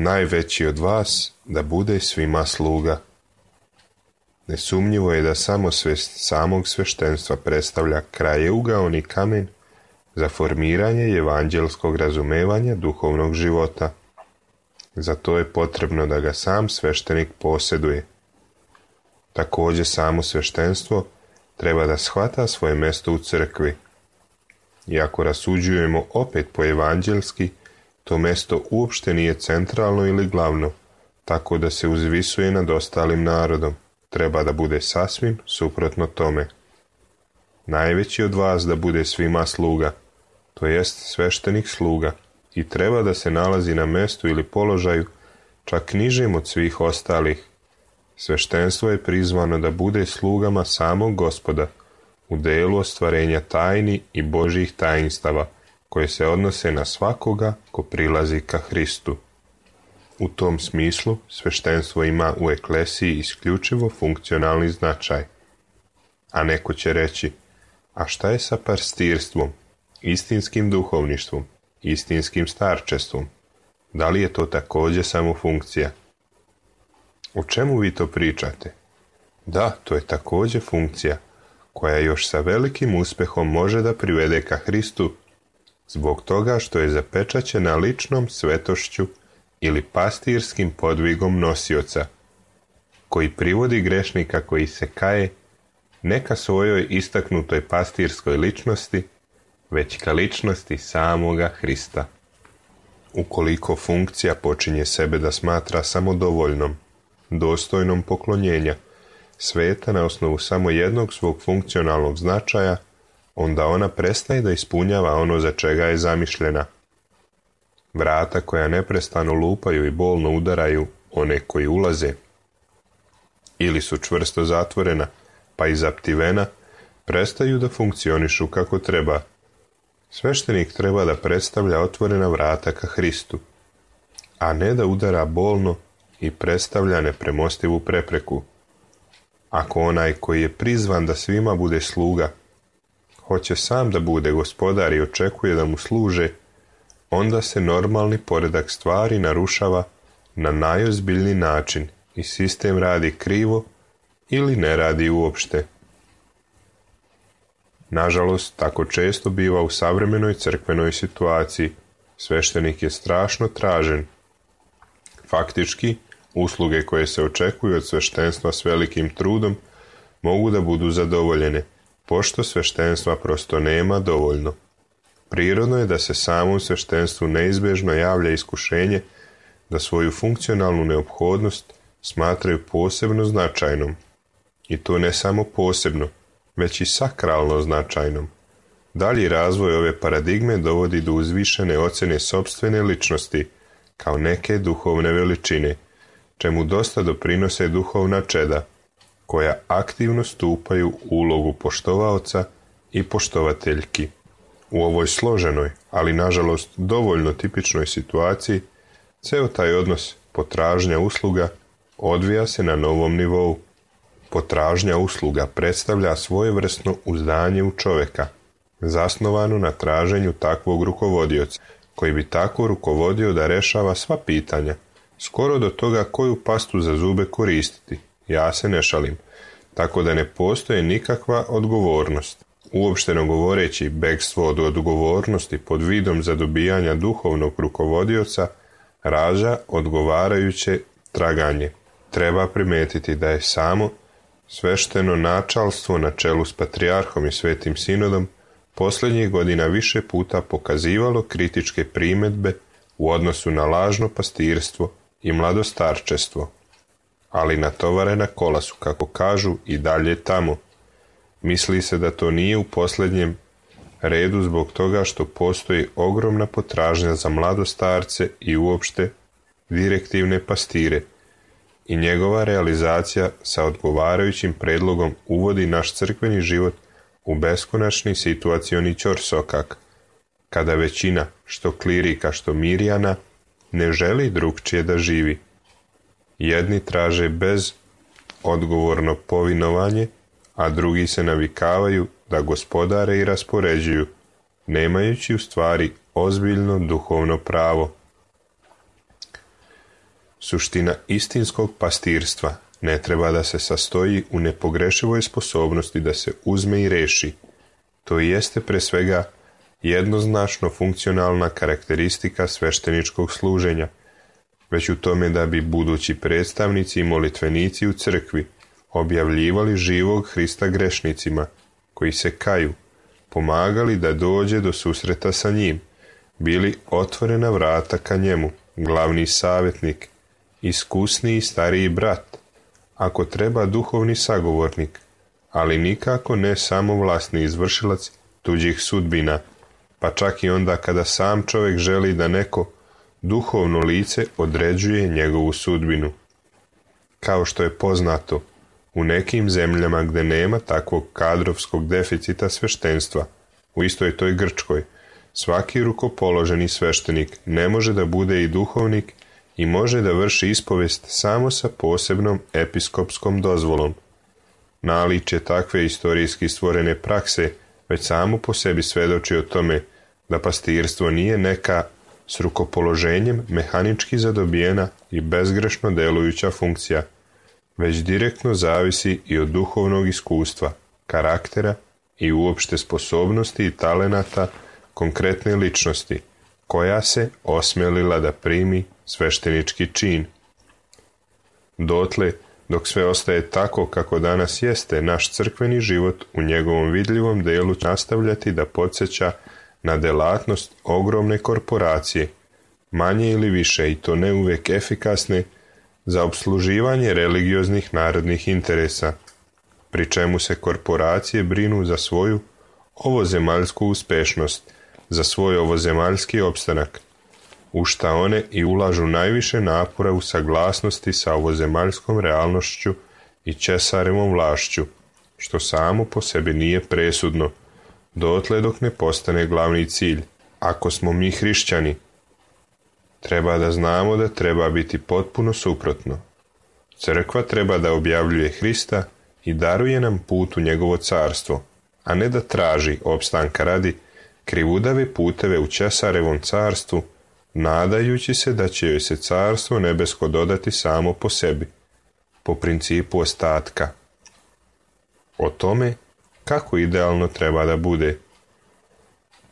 najveći od vas da bude svima sluga. Nesumnjivo je da samosvest samog sveštenstva predstavlja krajeугаoni kamen za formiranje evanđelskog razumevanja duhovnog života. Za to je potrebno da ga sam sveštenik posjeduje. Također samo sveštenstvo treba da shvata svoje mjesto u crkvi. I ako rasuđujemo opet po evanđelski, to mjesto uopšte nije centralno ili glavno, tako da se uzvisuje nad ostalim narodom. Treba da bude sasvim suprotno tome. Najveći od vas da bude svima sluga, to jest sveštenik sluga, i treba da se nalazi na mjestu ili položaju čak nižem od svih ostalih. Sveštenstvo je prizvano da bude slugama samog Gospoda u delu ostvarenja tajni i Božjih tajnstava koje se odnose na svakoga ko prilazi ka Hristu. U tom smislu sveštenstvo ima u eklesiji isključivo funkcionalni značaj. A neko će reći, a šta je sa pastirstvom, istinskim duhovništvom, istinskim starčestvom? Da li je to također samo funkcija? O čemu vi to pričate? Da, to je također funkcija, koja još sa velikim uspjehom može da privede ka Hristu, zbog toga što je zapečaćena ličnom svetošću ili pastirskim podvigom nosioca, koji privodi grešnika koji se kaje ne ka svojoj istaknutoj pastirskoj ličnosti, već ka ličnosti samoga Hrista. Ukoliko funkcija počinje sebe da smatra samodovoljnom, dostojnom poklonjenja, sveta na osnovu samo jednog svog funkcionalnog značaja, onda ona prestaje da ispunjava ono za čega je zamišljena. Vrata koja neprestano lupaju i bolno udaraju one koji ulaze, ili su čvrsto zatvorena, pa i zaptivena, prestaju da funkcionišu kako treba. Sveštenik treba da predstavlja otvorena vrata ka Hristu, a ne da udara bolno i predstavlja nepremostivu prepreku. Ako onaj koji je prizvan da svima bude sluga, hoće sam da bude gospodar i očekuje da mu služe, onda se normalni poredak stvari narušava na najozbiljniji način i sistem radi krivo ili ne radi uopšte. Nažalost, tako često biva u savremenoj crkvenoj situaciji. Sveštenik je strašno tražen. Faktički, usluge koje se očekuju od sveštenstva s velikim trudom mogu da budu zadovoljene, pošto sveštenstva prosto nema dovoljno. Prirodno je da se samom sveštenstvu neizbježno javlja iskušenje da svoju funkcionalnu neophodnost smatraju posebno značajnom. I to ne samo posebno, već i sakralno značajnom. Dalji razvoj ove paradigme dovodi do uzvišene ocjene sopstvene ličnosti kao neke duhovne veličine, čemu dosta doprinose duhovna čeda, koja aktivno stupaju u ulogu poštovaoca i poštovateljki. U ovoj složenoj, ali nažalost dovoljno tipičnoj situaciji, ceo taj odnos potražnja usluga odvija se na novom nivou. Potražnja usluga predstavlja svojevrsno uzdanje u čovjeka, zasnovano na traženju takvog rukovodioca, koji bi tako rukovodio da rešava sva pitanja, skoro do toga koju pastu za zube koristiti. Ja se ne šalim, tako da ne postoji nikakva odgovornost. Uopšteno govoreći, bekstvo od odgovornosti pod vidom zadobijanja duhovnog rukovodioca rađa odgovarajuće traganje. Treba primetiti da je samo svešteno načalstvo na čelu s patrijarhom i svetim sinodom posljednjih godina više puta pokazivalo kritičke primjedbe u odnosu na lažno pastirstvo i mladostarčestvo, ali natovarena kola su, kako kažu, i dalje tamo. Misli se da to nije u posljednjem redu zbog toga što postoji ogromna potražnja za mladostarce i uopšte direktivne pastire, i njegova realizacija sa odgovarajućim predlogom uvodi naš crkveni život u beskonačni situacioni ćorsokak, kada većina, što klirika, što mirjana, ne želi drugčije da živi. Jedni traže bez odgovorno povinovanje, a drugi se navikavaju da gospodare i raspoređuju, nemajući u stvari ozbiljno duhovno pravo. Suština istinskog pastirstva ne treba da se sastoji u nepogrešivoj sposobnosti da se uzme i reši. To jeste pre svega jednoznačno funkcionalna karakteristika svešteničkog služenja, već u tome da bi budući predstavnici i molitvenici u crkvi objavljivali živog Hrista grešnicima koji se kaju, pomagali da dođe do susreta sa njim, bili otvorena vrata ka njemu, glavni savjetnik, iskusniji stariji brat, ako treba duhovni sagovornik, ali nikako ne samo vlasni izvršilac tuđih sudbina, pa čak i onda kada sam čovjek želi da neko duhovno lice određuje njegovu sudbinu. Kao što je poznato, u nekim zemljama gdje nema takvog kadrovskog deficita sveštenstva, u istoj toj Grčkoj, svaki rukopoloženi sveštenik ne može da bude i duhovnik i može da vrši ispovest samo sa posebnom episkopskom dozvolom. Naličje takve istorijski stvorene prakse već samo po sebi svedoči o tome da pastirstvo nije neka s rukopoloženjem mehanički zadobijena i bezgrešno delujuća funkcija, već direktno zavisi i od duhovnog iskustva, karaktera i uopšte sposobnosti i talenata konkretne ličnosti, koja se osmelila da primi sveštenički čin. Dotle, dok sve ostaje tako kako danas jeste, naš crkveni život u njegovom vidljivom delu će nastavljati da podsjeća na delatnost ogromne korporacije, manje ili više i to ne uvek efikasne, za obsluživanje religioznih narodnih interesa, pri čemu se korporacije brinu za svoju ovozemaljsku uspešnost, za svoj ovozemaljski opstanak, u šta one i ulažu najviše napora u saglasnosti sa ovozemaljskom realnošću i Česarevom vlašću, što samo po sebi nije presudno, dotle dok ne postane glavni cilj. Ako smo mi hrišćani, treba da znamo da treba biti potpuno suprotno. Crkva treba da objavljuje Hrista i daruje nam put u njegovo carstvo, a ne da traži, opstanka radi, krivudave puteve u Česarevom carstvu, nadajući se da će joj se carstvo nebesko dodati samo po sebi, po principu ostatka. O tome kako idealno treba da bude.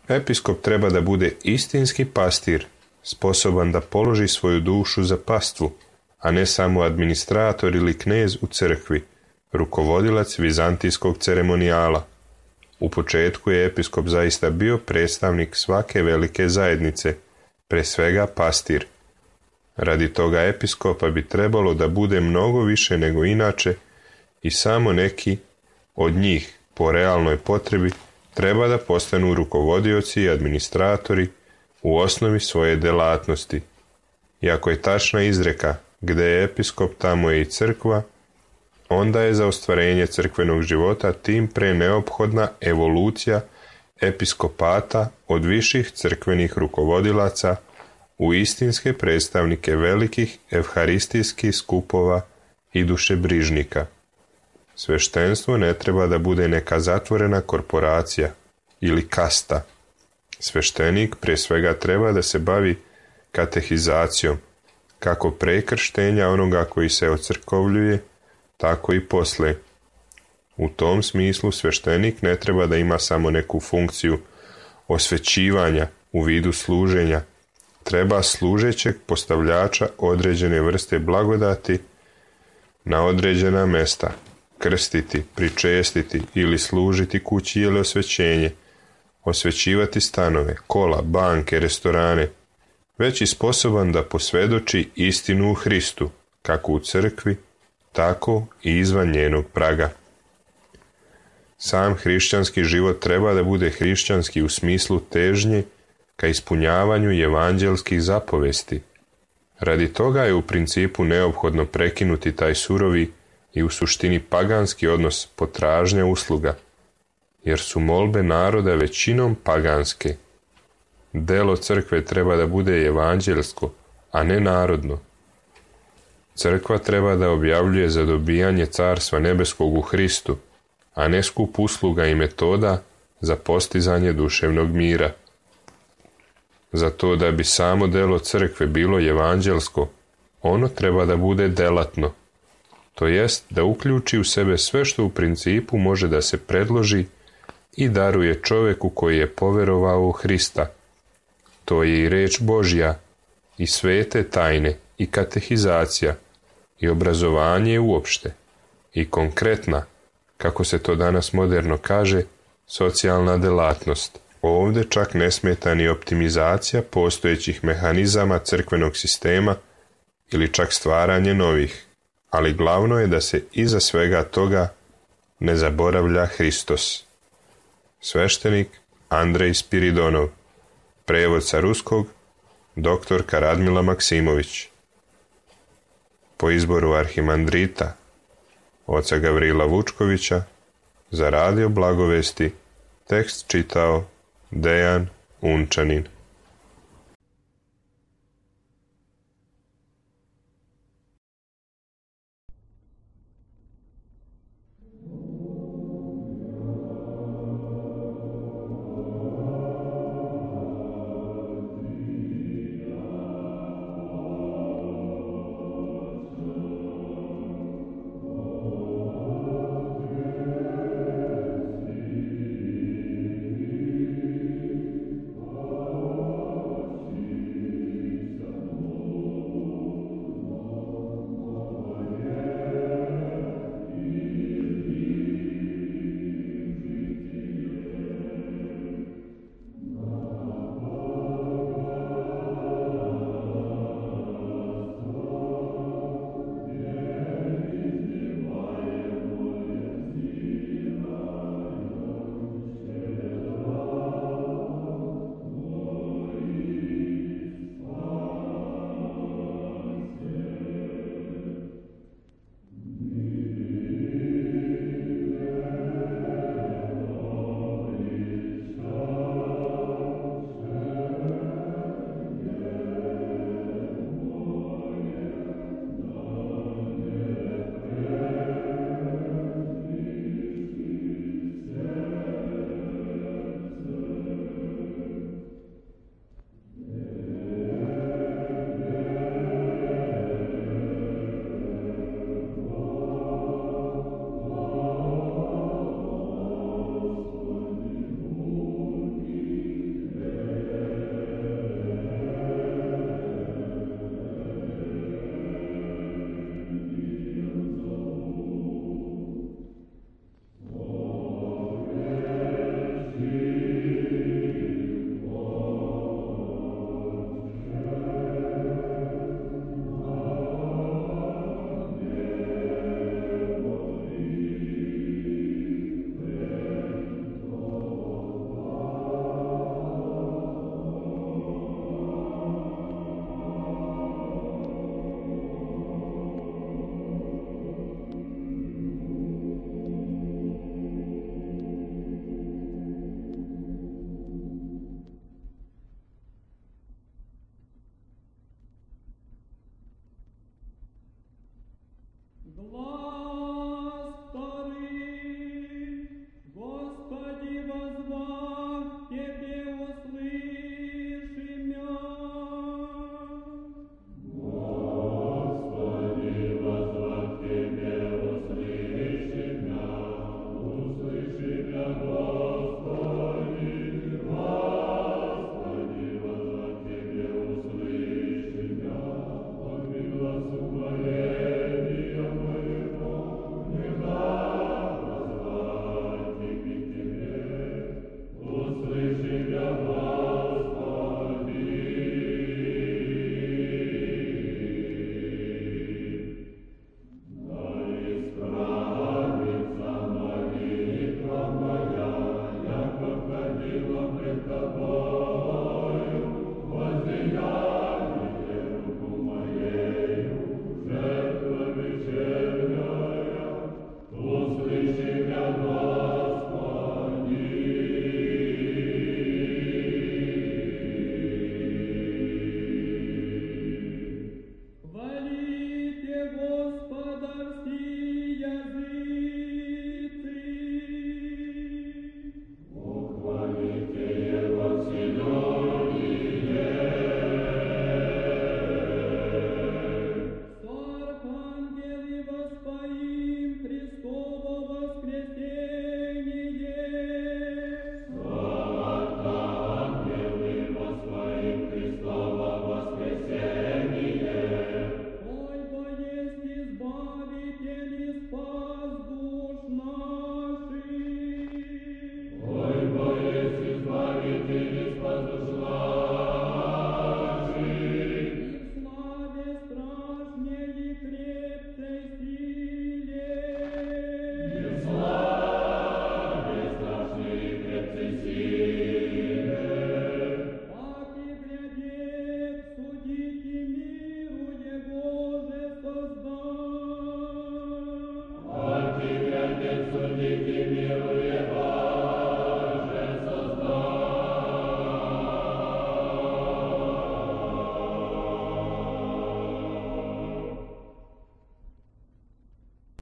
Episkop treba da bude istinski pastir, sposoban da položi svoju dušu za pastvu, a ne samo administrator ili knez u crkvi, rukovodilac vizantijskog ceremonijala. U početku je episkop zaista bio predstavnik svake velike zajednice, pre svega pastir. Radi toga episkopa bi trebalo da bude mnogo više nego inače i samo neki od njih, po realnoj potrebi, treba da postanu rukovodioci i administratori u osnovi svoje delatnosti. Iako je tačna izreka gde je episkop, tamo je i crkva, onda je za ostvarenje crkvenog života tim pre neophodna evolucija episkopata od viših crkvenih rukovodilaca u istinske predstavnike velikih evharistijskih skupova i dušebrižnika. Sveštenstvo ne treba da bude neka zatvorena korporacija ili kasta. Sveštenik pre svega treba da se bavi katehizacijom, kako pre krštenja onoga koji se ocrkovljuje, tako i posle. U tom smislu sveštenik ne treba da ima samo neku funkciju osvećivanja u vidu služenja, treba služećeg postavljača određene vrste blagodati na određena mesta, krstiti, pričestiti ili služiti kući ili osvećenje, osvećivati stanove, kola, banke, restorane, već i sposoban da posvedoči istinu u Hristu, kako u crkvi, tako i izvan njenog praga. Sam hrišćanski život treba da bude hrišćanski u smislu težnje ka ispunjavanju evanđelskih zapovesti. Radi toga je u principu neophodno prekinuti taj surovi i u suštini paganski odnos potražnja usluga, jer su molbe naroda većinom paganske. Delo crkve treba da bude evanđelsko, a ne narodno. Crkva treba da objavljuje za dobijanje carstva nebeskog u Hristu, a ne skup usluga i metoda za postizanje duševnog mira. Zato da bi samo delo crkve bilo evanđelsko, Ono treba da bude delatno, to jest da uključi u sebe sve što u principu može da se predloži i daruje čoveku koji je poverovao u Hrista. To je i reč Božja, i svete tajne, i katehizacija, i obrazovanje uopšte, i konkretna, kako se to danas moderno kaže, socijalna delatnost. Ovde čak ne smeta ni optimizacija postojećih mehanizama crkvenog sistema ili čak stvaranje novih, ali glavno je da se iza svega toga ne zaboravlja Hristos. Sveštenik Andrej Spiridonov, prevod sa ruskog, doktorka Radmila Maksimović. Po izboru arhimandrita, oca Gavrila Vučkovića, za Radio Blagovesti, tekst čitao Dejan Unčanin.